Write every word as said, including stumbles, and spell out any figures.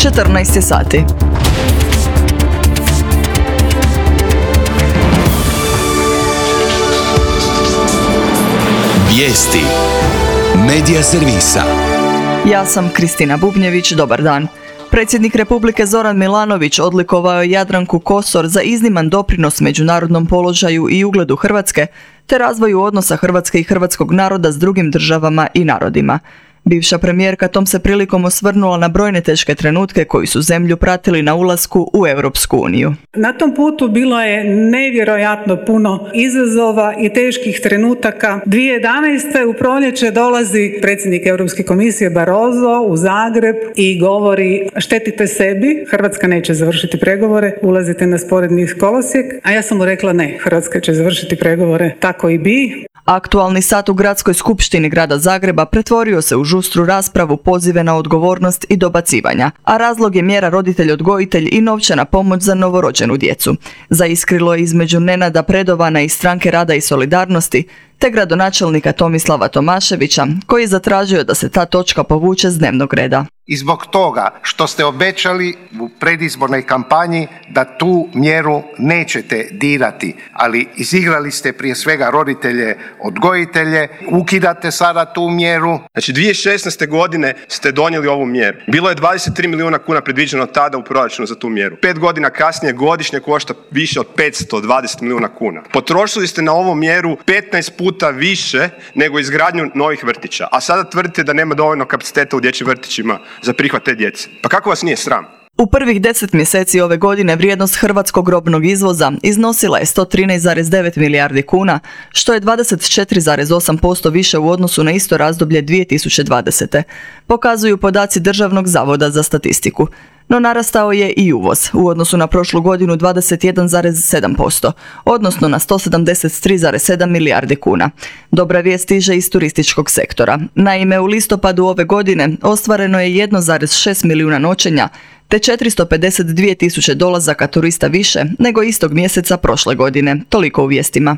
četrnaest je sati. Vijesti Medija servisa. Ja sam Kristina Bubnjević, dobar dan. Predsjednik Republike Zoran Milanović odlikovao je Jadranku Kosor za izniman doprinos međunarodnom položaju i ugledu Hrvatske, te razvoju odnosa Hrvatske i hrvatskog naroda s drugim državama i narodima. Bivša premijerka tom se prilikom osvrnula na brojne teške trenutke koji su zemlju pratili na ulasku u Europsku uniju. Na tom putu bilo je nevjerojatno puno izazova i teških trenutaka. dvije tisuće jedanaeste. u proljeće dolazi predsjednik Europske komisije Barroso u Zagreb i govori: štetite sebi, Hrvatska neće završiti pregovore, ulazite na sporedni kolosijek. A ja sam mu rekla ne, Hrvatska će završiti pregovore, tako i bi. Aktualni sat u Gradskoj skupštini grada Zagreba pretvorio se u žustru raspravu, pozive na odgovornost i dobacivanja, a razlog je mjera roditelj-odgojitelj i novčana pomoć za novorođenu djecu. Zaiskrilo je između Nenada Predovana iz Stranke rada i solidarnosti te gradonačelnika Tomislava Tomaševića, koji je zatražio da se ta točka povuče s dnevnog reda. I zbog toga što ste obećali u predizbornoj kampanji da tu mjeru nećete dirati, ali izigrali ste prije svega roditelje, odgojitelje, ukidate sada tu mjeru. Znači dvije tisuće šesnaeste. godine ste donijeli ovu mjeru. Bilo je dvadeset tri milijuna kuna predviđeno tada u proračunu za tu mjeru. Pet godina kasnije godišnje košta više od petsto dvadeset milijuna kuna. Potrošili ste na ovu mjeru petnaest puta više nego izgradnju novih vrtića, a sada tvrdite da nema dovoljno kapaciteta u dječjim vrtićima za prihvat te djece. Pa kako vas nije sram? U prvih deset mjeseci ove godine vrijednost hrvatskog robnog izvoza iznosila je sto trinaest zarez devet milijardi kuna, što je dvadeset četiri zarez osam posto više u odnosu na isto razdoblje dvije tisuće dvadesete. Pokazuju podaci Državnog zavoda za statistiku. No narastao je i uvoz, u odnosu na prošlu godinu dvadeset jedan zarez sedam posto, odnosno na sto sedamdeset tri zarez sedam milijardi kuna. Dobra vijest stiže iz turističkog sektora. Naime, u listopadu ove godine ostvareno je jedan zarez šest milijuna noćenja, te četiristo pedeset dvije tisuće dolazaka turista više nego istog mjeseca prošle godine. Toliko u vijestima.